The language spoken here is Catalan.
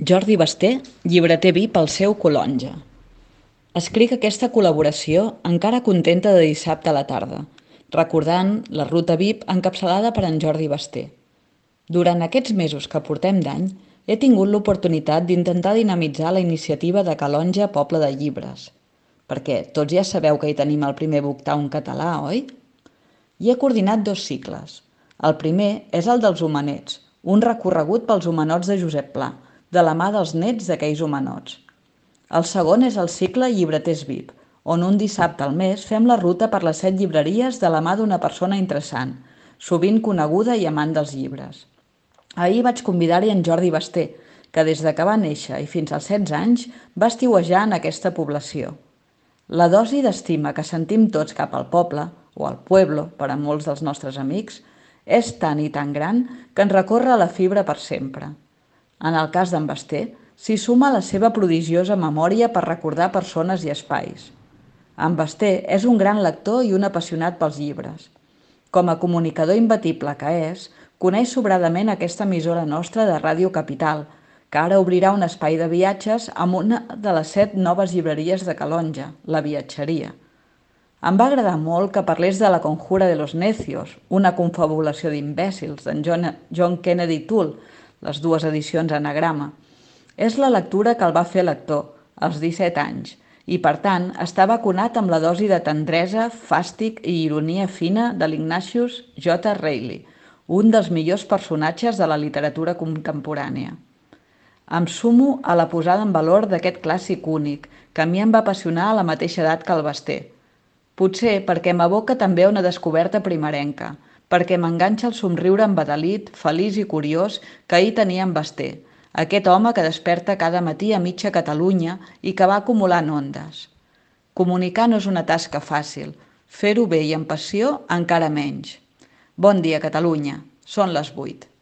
Jordi Basté, llibreter VIP al seu Colonja. Escric aquesta col·laboració encara contenta de dissabte a la tarda, recordant la ruta VIP encapçalada per en Jordi Basté. Durant aquests mesos que portem d'any, he tingut l'oportunitat d'intentar dinamitzar la iniciativa de Calonja Poble de Llibres, perquè tots ja sabeu que hi tenim el primer Booktown català, oi? I he coordinat 2 cicles. El primer és el dels homenets, un recorregut pels homenots de Josep Pla, de la mà dels nets d'aquells homenots. El segon és el cicle Llibreters VIP, on un dissabte al mes fem la ruta per les 7 llibreries de la mà d'una persona interessant, sovint coneguda i amant dels llibres. Ahir vaig convidar-hi en Jordi Basté, que des de que va néixer i fins als 16 anys va estiuejar en aquesta població. La dosi d'estima que sentim tots cap al poble, o al pueblo, per a molts dels nostres amics, és tan i tan gran que ens recorre la fibra per sempre. En el cas d'en Basté, s'hi suma la seva prodigiosa memòria per recordar persones i espais. En Basté és un gran lector i un apassionat pels llibres. Com a comunicador imbatible que és, coneix sobradament aquesta emissora nostra de Ràdio Capital, que ara obrirà un espai de viatges amb una de les 7 noves llibreries de Calonja, la Viatgeria. Em va agradar molt que parlés de La conjura de los necios, una confabulació d'imbècils d'en John Kennedy Toole, les 2 edicions anagrama. És la lectura que el va fer lector, als 17 anys, i per tant està vacunat amb la dosi de tendresa, fàstic i ironia fina de l'Ignatius J. Reilly, un dels millors personatges de la literatura contemporània. Em sumo a la posada en valor d'aquest clàssic únic, que a mi em va apassionar a la mateixa edat que el Basté. Potser perquè m'aboca també a una descoberta primerenca, perquè m'enganxa el somriure embadalit, feliç i curiós que ahir tenia en Basté, aquest home que desperta cada matí a mitja Catalunya i que va acumulant ondes. Comunicar no és una tasca fàcil, fer-ho bé i amb passió encara menys. Bon dia, Catalunya. Són les 8.